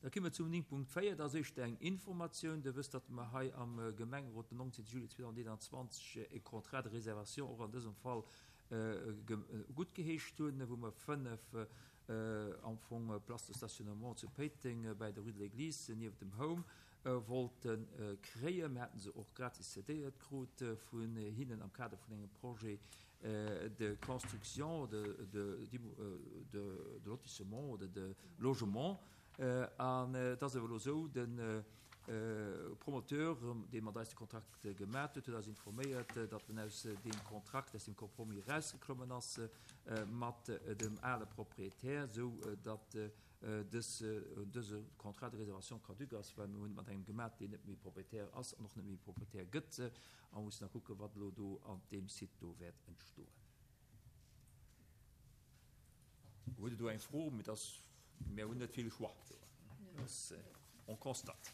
Da komme mer zum 9.4, dat ass éischter eng Informatioun. Der wësst, datt mer hei am Gemengerot den 19. Juli 2021 e Contrat de réservation och an dësem Fall guttgeheescht hunn, wou mer 5 am Fong Places de stationnement zu Péiteng bäi der Rue de l'Église nieft dem Home wollte kréien. Mir haten se och gratis cédéiert krut vun hinnen am Kader vun engem Projet de construction de, de lotissement oder de logement. An et ass awer elo esou, de Promoteur, dee mat eis de Kontrakt gemat huet, huet eis informéiert, datt en aus deem Kontrakt, aus deem Compromis erausgeklommen ass mat dem ale Proprietär, esou datt dës, dëse Contrat de réservation caduc ass, well mir hunn et mat engem gemat, deen net méi Proprietär ass an och net méi Proprietär gëtt. A mussen da kucken, wat elo do an deem Site do wäert entstoen. Hutt Der do eng Fro? Mee dass, mir hunn net vill Choix do. On constate.